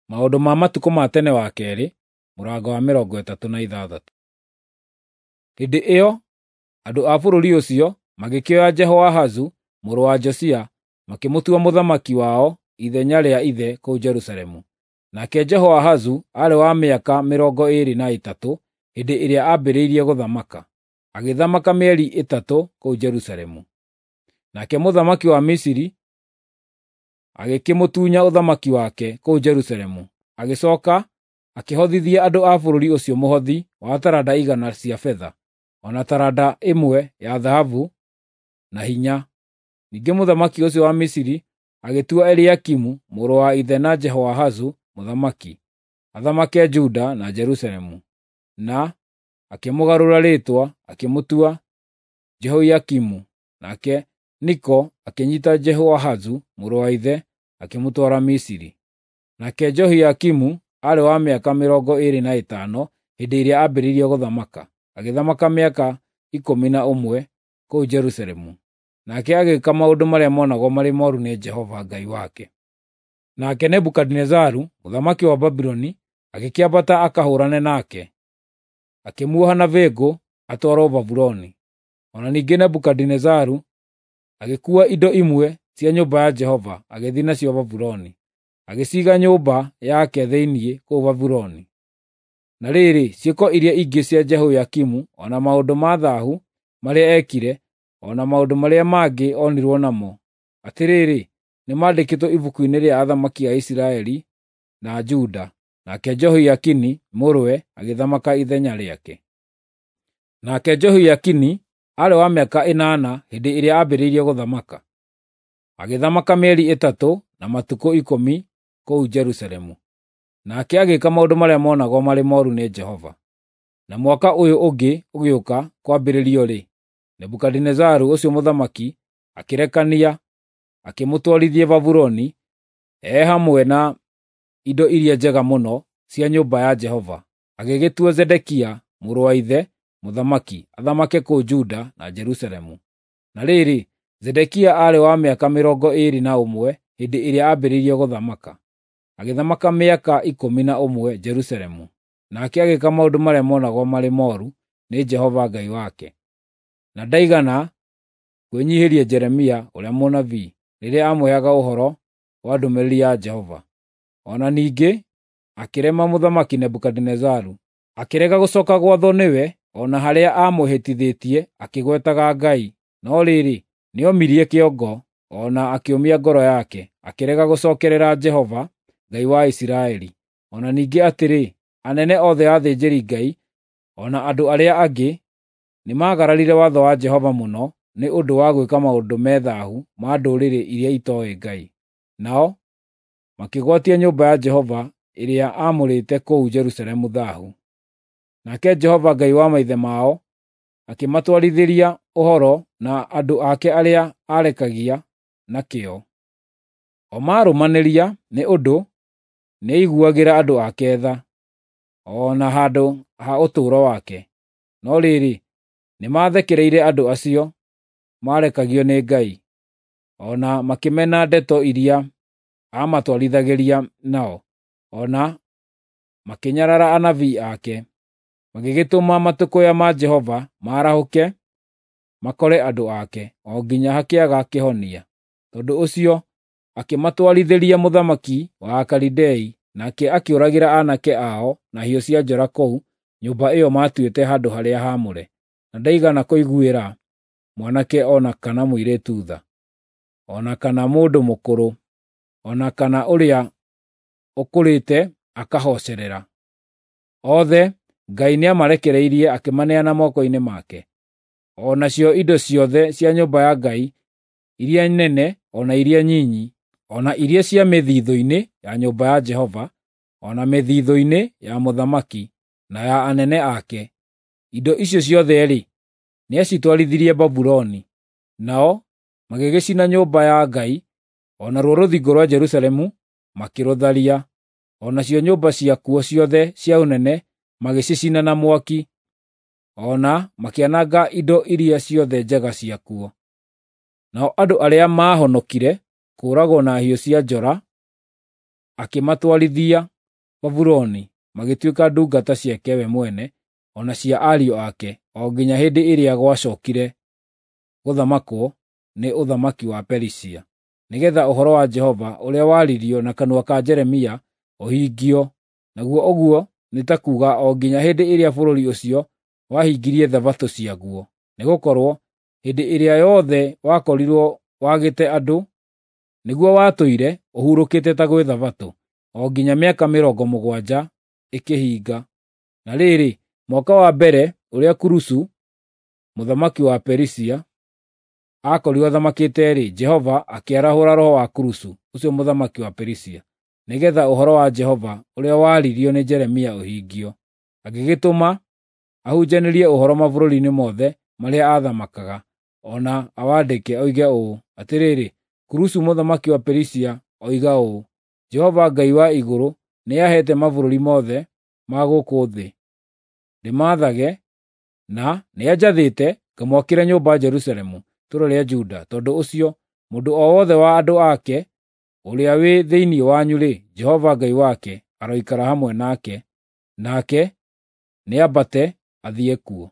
Maũndũ ma Matukũ ma Tene wa Kerĩ, mũrango wa 36. Hĩndĩ ĩyo andũ a bũrũri ũcio magĩkĩoya Jehoahazu mũrũ wa Josia makĩmũtua mũthamaki wao ithenya rĩa ithe kũu Jerusalemu. Nake Jehoahazu aarĩ wa mĩaka 23 hĩndĩ ĩrĩa aambĩrĩirie gũthamaka, agĩthamaka mĩeri 3 kũu Jerusalemu. Nake mũthamaki wa Misiri agĩkĩmũtunya ũthamaki wake kũu Jerusalemu, agĩcooka akĩhothithia andũ a bũrũri ũcio mũhothi wa taranda 100 cia betha, o na taranda 1 ya thahabu na hinya. Ningĩ mũthamaki ũcio wa Misiri agĩtua Eliakimu mũrũ wa ithe na Jehoahazu mũthamaki, athamake Juda na Jerusalemu, na akĩmũgarũra rĩĩtwa akĩmũtua Jehoiakimu. Nake Niko akĩnyiita Jehoahazu mũrũ wa ithe akĩmũtwara Misiri. Nake Jehoiakimu aarĩ wa mĩaka 25 hĩndĩ ĩrĩa aambĩrĩirie gũthamaka, agĩthamaka mĩaka 11 kũu Jerusalemu. Nake agĩĩka maũndũ marĩa monagwo marĩ mooru nĩ Jehova Ngai wake. Nake Nebukadinezaru mũthamaki wa Babuloni agĩkĩambata akahũũrane nake, akĩmuoha na bĩngũ atwarwo Babuloni. O na ningĩ Nebukadinezaru agĩkuua indo imwe cia nyũmba ya Jehova agĩthiĩ nacio Babuloni, agĩciiga nyũmba yake thĩinĩ kũu Babuloni. Na rĩrĩ, ciĩko iria ingĩ cia Jehoiakimu, o na maũndũ ma thaahu marĩa eekire, o na maũndũ marĩa mangĩ onirwo namo, atĩrĩrĩ, nĩmandĩkĩtwo ibuku-inĩ rĩa athamaki a Isiraeli na Juda. Nake Jehoiakini mũrũwe agĩthamaka ithenya rĩake. Nake Jehoiakini aarĩ wa mĩaka 8 hĩndĩ ĩrĩa aambĩrĩirie gũthamaka, agĩthamaka mĩeri 3 na matukũ 10 kũu Jerusalemu. Nake agĩĩka maũndũ marĩa monagwo marĩ mooru nĩ Jehova. Na mwaka ũyũ ũngĩ ũgĩũka kwambĩrĩrio-rĩ, Nebukadinezaru ũcio mũthamaki akĩrekania akĩmũtwarithie Babuloni e hamwe na indo iria njega mũno cia nyũmba ya Jehova, agĩgĩtua Zedekia mũrũ wa ithe mũthamaki, athamake kũu Juda na Jerusalemu. Na rĩrĩ, Zedekia aarĩ wa mĩaka 21 hĩndĩ ĩrĩa aambĩrĩirie gũthamaka, agĩthamaka mĩaka 11 Jerusalemu. Nake agĩĩka maũndũ marĩa monagwo marĩ mooru nĩ Jehova Ngai wake, na ndaigana kwĩnyiihĩria Jeremia ũrĩa mũnabii rĩrĩa aamũheaga ũhoro wa ndũmĩrĩri ya Jehova. O na ningĩ akĩrema mũthamaki Nebukadinezaru, akĩrega gũcooka gwathwo nĩwe o na harĩa aamũhĩtithĩtie akĩgwetaga Ngai. No rĩrĩ, nĩomirie kĩongo o na akĩũmia ngoro yake, akĩrega gũcookerera Jehova Ngai wa Isiraeli. O na ningĩ atĩrĩ, anene othe a athĩnjĩri-Ngai o na andũ arĩa angĩ nĩmagararire watho wa Jehova mũno nĩ ũndũ wa gwĩka maũndũ me thaahu ma ndũrĩrĩ iria itooĩ Ngai. Nao makĩgwatia nyũmba ya Jehova ĩrĩa aamũrĩte kũu Jerusalemu thaahu. Nake Jehova Ngai wa maithe mao akĩmatwarithĩria ũhoro na andũ ake arĩa aarekagia na kĩo. O maarũmanĩria nĩ ũndũ nĩaiguagĩra andũ ake tha, o na handũ ha ũtũũro wake. No rĩrĩ, nĩmathekereire andũ acio maarekagio nĩ Ngai, o na makĩmena ndeto iria aamatwarithagĩria nao, o na makĩnyarara anabii ake, magĩgĩtũma matũkũya ma Jehova maarahũke makore andũ ake, o nginya hakĩaga kĩhonia. Tondũ ũcio akĩmatwarithĩria mũthamaki wa Akalidei, nake akĩũragĩra aanake ao na hiũ cia njora kũu nyũmba ĩyo maatuĩte handũ-harĩa-haamũre, na ndaigana kũiguĩra mwanake o na kana mũirĩtu tha, o na kana mũndũ mũkũrũ, o na kana ũrĩa ũkũrĩte akahocerera. Othe Ngai nĩamarekereirie akĩmaneana moko-inĩ make. O nacio indo ciothe cia nyũmba ya Ngai, iria nene o na iria nyinyi, o na iria cia mĩthithũ-inĩ ya nyũmba ya Jehova, o na mĩthithũ-inĩ ya mũthamaki na ya anene ake, indo icio ciothe-rĩ, nĩacitwarithirie Babuloni. Nao magĩgĩcina nyũmba ya Ngai, o naruo rũthingo rwa Jerusalemu makĩrũtharia, o nacio nyũmba ciakuo ciothe cia ũnene magĩcicina na mwaki, o na makĩananga indo iria ciothe njega ciakuo. Nao andũ arĩa maahonokire kũũragwo na hiũ cia njora akĩmatwarithia Babuloni magĩtuĩka ndungata ciake we mwene o na cia ariũ ake, o nginya hĩndĩ ĩrĩa gwacokire gũthamakwo nĩ ũthamaki wa Perisia, nĩgeetha ũhoro wa Jehova ũrĩa waririo na kanua ka Jeremia ũhingio, naguo ũguo nĩ ta kuuga o nginya hĩndĩ ĩrĩa bũrũri ũcio wahingirie thabatũ ciaguo. Nĩgũkorwo hĩndĩ ĩrĩa yothe wakorirwo wagĩte andũ, nĩguo watũire ũhurũkĩte ta gwĩ thabatũ, o nginya mĩaka 70 ĩkĩhinga. Na rĩrĩ, mwaka wa mbere ũrĩa Kurusu mũthamaki wa Perisia aakorirwo athamakĩte-rĩ, Jehova akĩarahũra roho wa Kurusu, ũcio mũthamaki wa Perisia, nĩgeetha ũhoro wa Jehova ũrĩa waririo nĩ Jeremia ũhingio. Agĩgĩtũma ahunjanĩrie ũhoro mabũrũri-inĩ mothe marĩa aathamakaga, o na awandĩke, oige ũũ: Atĩrĩrĩ, Kurusu mũthamaki wa Perisia oiga ũũ: Jehova Ngai wa igũrũ nĩaheete mabũrũri mothe ma gũkũ thĩ ndĩmathage, na nĩanjathĩte ngamwakĩre nyũmba Jerusalemu, itũũra rĩa Juda. Tondũ ũcio, mũndũ o wothe wa andũ ake ũrĩa wĩ thĩinĩ wanyu-rĩ, Jehova Ngai wake aroikara hamwe nake, nake nĩambate athiĩ kuo.